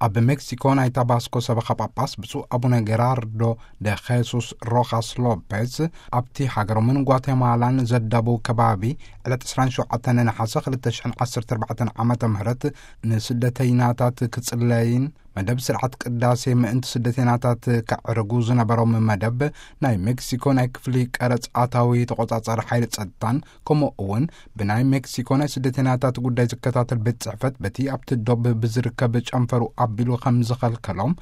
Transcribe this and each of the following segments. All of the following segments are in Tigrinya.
ኣብ ሜክሲኮ ናይ ታባስኮ ሰበኻ ጳጳስ ብፁዕ ኣቡነ ጌራርዶ ደ ኼሱስ ሮኻስ ሎፔዝ፣ ኣብቲ ሃገሮምን ጓቴማላን ዘዳቡ ከባቢ፣ ዕለት ዕስራን ሸውዓተን ነሓሰ ክልተ ሽሕን ዓሰርተ ኣርባዕተን ዓመተ ምህረት፣ ንስደተይናታት ክጽለይን መደብ ስርዓት ቅዳሴ ምእንቲ ስደተይናታት ከዕርጉ ዝነበሮም መደብ፣ ናይ ሜክሲኮ ናይ ክፍሊ ቀረጽ ኣታዊ ተቖጻጻሪ ሓይሊ ጸጥታን፣ ከምኡ እውን ብናይ ሜክሲኮ ናይ ስደተይናታት ጉዳይ ዝከታተል ቤት ጽሕፈት፣ በቲ ኣብቲ ዶብ ብዝርከብ ጨንፈሩ ኣቢሉ ከም ዝኸልከሎም፣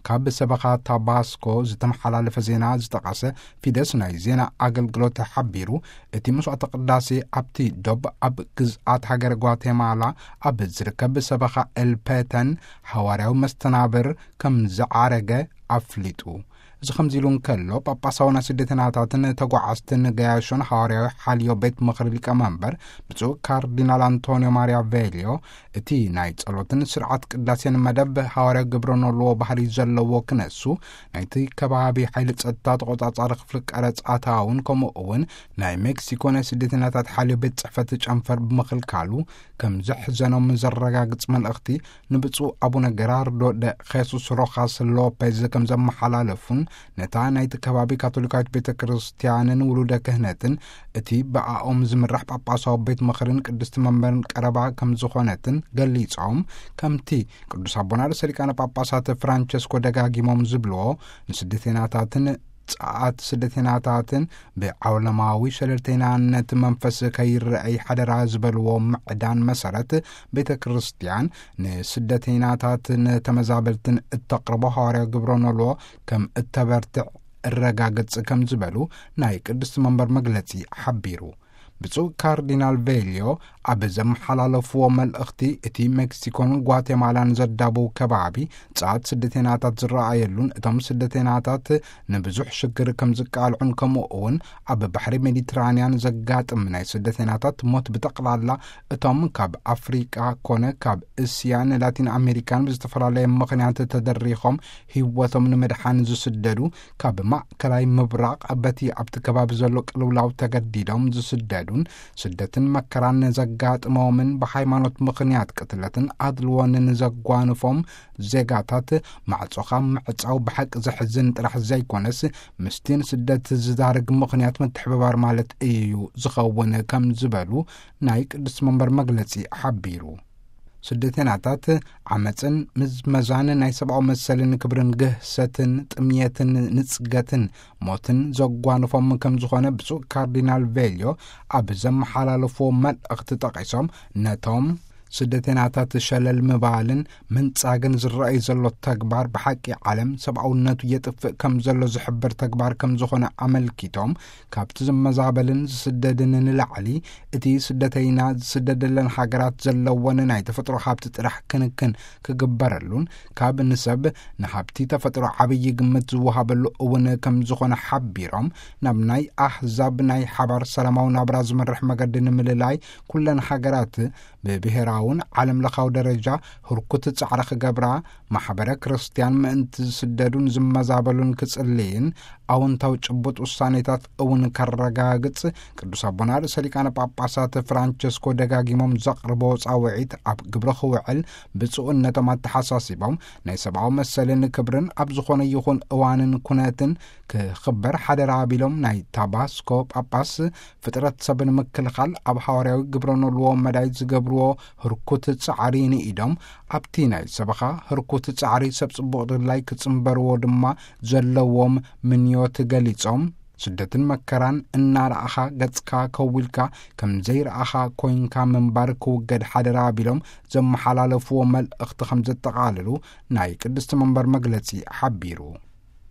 ካብ ሰበኻ ታባስኮ ዝተመሓላለፈ ዜና ዝጠቐሰ ፊደስ ናይ ዜና ኣገልግሎት ሓቢሩ። እቲ መስዋዕተ ቅዳሴ ኣብቲ ዶብ ኣብ ግዝኣት ሃገረ ጓቴማላ ኣብ ዝርከብ ሰበኻ ኤልፔተን ሓዋርያዊ መስተናብር ከም ዝዓረገ ኣፍሊጡ። እዚ ከምዚ ኢሉ እንከሎ፣ ጳጳሳዊ ናይ ስደተይናታትን ተጓዓዝትን ገያሾን ሓዋርያዊ ሓልዮ ቤት ምኽሪ ሊቀመንበር ብፁዕ ካርዲናል ኣንቶኒዮ ማሪያ ቬልዮ፣ እቲ ናይ ጸሎትን ስርዓት ቅዳሴን መደብ ሃዋርያዊ ግብረ ኖልዎ ባህሪ ዘለዎ ክነሱ፣ ናይቲ ከባቢ ሓይሊ ጸጥታ ተቖጻጻሪ ክፍሊ ቀረጽ ኣታውን፣ ከምኡ እውን ናይ ሜክሲኮ ናይ ስደተይናታት ሓልዮ ቤት ጽሕፈት ጨንፈር ብምኽልካሉ፣ ከም ዘሕዘኖም ዘረጋግጽ መልእኽቲ ንብፁዕ ኣቡነ ጌራርዶ ደ ኼሱስ ሮኻስ ሎፔዝ ከም ዘመሓላለፉን፣ ነታ ናይቲ ከባቢ ካቶሊካዊት ቤተ ክርስቲያንን ውሉደ ክህነትን፣ እቲ ብኣኦም ዝምራሕ ጳጳሳዊ ቤት ምኽርን ቅድስቲ መንበርን ቀረባ ከም ዝኾነትን ገሊጾም፣ ከምቲ ቅዱስ ኣቦና ርእሰ ሊቃነ ጳጳሳት ፍራንቸስኮ ደጋጊሞም ዝብልዎ፣ ንስደተይናታትን ጸዓት ስደተይናታትን ብዓለማዊ ሸለልተይናነት መንፈስ ከይረኣይ ሓደራ ዝበልዎ ምዕዳን መሰረት፣ ቤተ ክርስቲያን ንስደተይናታትን ተመዛበልትን እተቕርቦ ሃዋርያዊ ግብረ ኖልዎ ከም እተበርትዕ እረጋግጽ ከም ዝበሉ ናይ ቅድስቲ መንበር መግለጺ ሓቢሩ። ብፁዕ ካርዲናል ቬልዮ ኣብ ዘመሓላለፍዎ መልእኽቲ፣ እቲ ሜክሲኮን ጓቴማላን ዘዳቡ ከባቢ ጸዓት ስደተይናታት ዝረኣየሉን፣ እቶም ስደተይናታት ንብዙሕ ሽግር ከም ዝቃልዑን፣ ከምኡ እውን ኣብ ባሕሪ ሜዲትራንያን ዘጋጥም ናይ ስደተይናታት ሞት ብጠቕላላ፣ እቶም ካብ ኣፍሪቃ ኮነ ካብ እስያን ላቲን ኣሜሪካን ብዝተፈላለየ ምኽንያት ተደሪኾም ህይወቶም ንምድሓን ዝስደዱ፣ ካብ ማእከላይ ምብራቕ በቲ ኣብቲ ከባቢ ዘሎ ቅልውላው ተገዲዶም ዝስደዱን፣ ስደትን መከራን ዘጋጥሞምን፣ ብሃይማኖት ምኽንያት ቅትለትን ኣድልዎን ዘጓንፎም ዜጋታት፣ ማዕጾኻ ምዕጻው ብሓቂ ዘሕዝን ጥራሕ ዘይኮነስ፣ ምስቲ ንስደት ዝዳርግ ምኽንያት ምትሕብባር ማለት እዩ ዝኸውን ከም ዝበሉ ናይ ቅድስቲ መንበር መግለጺ ሓቢሩ። ስደተይናታት ዓመጽን ምዝመዛን ናይ ሰብኣዊ መሰልን ክብርን ግህሰትን ጥምየትን ንጽገትን ሞትን ዘጓንፎም ከም ዝኾነ ብፁዕ ካርዲናል ቬልዮ ኣብ ዘመሓላለፍዎ መልእኽቲ ጠቒሶም፣ ነቶም ስደተይናታት ሸለል ምባልን ምንጻግን ዝረኣይ ዘሎ ተግባር ብሓቂ ዓለም ሰብኣውነቱ የጥፍእ ከም ዘሎ ዝሕብር ተግባር ከም ዝኾነ ኣመልኪቶም፣ ካብቲ ዝመዛበልን ዝስደድን ንላዕሊ፣ እቲ ስደተይና ዝስደደለን ሃገራት ዘለወን ናይ ተፈጥሮ ሃብቲ ጥራሕ ክንክን ክግበረሉን፣ ካብ ንሰብ ንሃብቲ ተፈጥሮ ዓብዪ ግምት ዝወሃበሉ እውን ከም ዝኾነ ሓቢሮም፣ ናብ ናይ ኣህዛብ ናይ ሓባር ሰላማዊ ናብራ ዝመርሕ መገዲ ንምልላይ፣ ኩለን ሃገራት ብብሄራውን ዓለም ለኻዊ ደረጃ ህርኩት ጻዕሪ ክገብራ፣ ማሕበረ ክርስቲያን ምእንቲ ዝስደዱን ዝመዛበሉን ክጽልይን፣ ኣወንታዊ ጭቡጥ ውሳኔታት እውን ከረጋግጽ፣ ቅዱስ ኣቦና ርእሰ ሊቃነ ጳጳሳት ፍራንቸስኮ ደጋጊሞም ዘቕርቦ ጻውዒት ኣብ ግብሪ ክውዕል ብፁዕነቶም ኣተሓሳሲቦም፣ ናይ ሰብኣዊ መሰልን ክብርን ኣብ ዝኾነ ይኹን እዋንን ኩነትን ክኽበር ሓደራ ቢሎም፣ ናይ ታባስኮ ጳጳስ ፍጥረት ሰብ ንምክልኻል ኣብ ሃዋርያዊ ግብረ ኖልዎ መዳይ ዝገብርዎ ህርኩት ጻዕሪ ንኢዶም፣ ኣብቲ ናይ ሰበኻ ህርኩት ጻዕሪ ሰብ ጽቡቕ ድላይ ክጽንበርዎ ድማ ዘለዎም ምንዮት ገሊጾም፣ ስደትን መከራን እናረኣኻ ገጽካ ከዊልካ ከም ዘይረኣኻ ኮይንካ ምንባር ክውገድ ሓደራ ቢሎም ዘመሓላለፍዎ መልእኽቲ ከም ዘጠቓልሉ ናይ ቅድስቲ መንበር መግለጺ ሓቢሩ።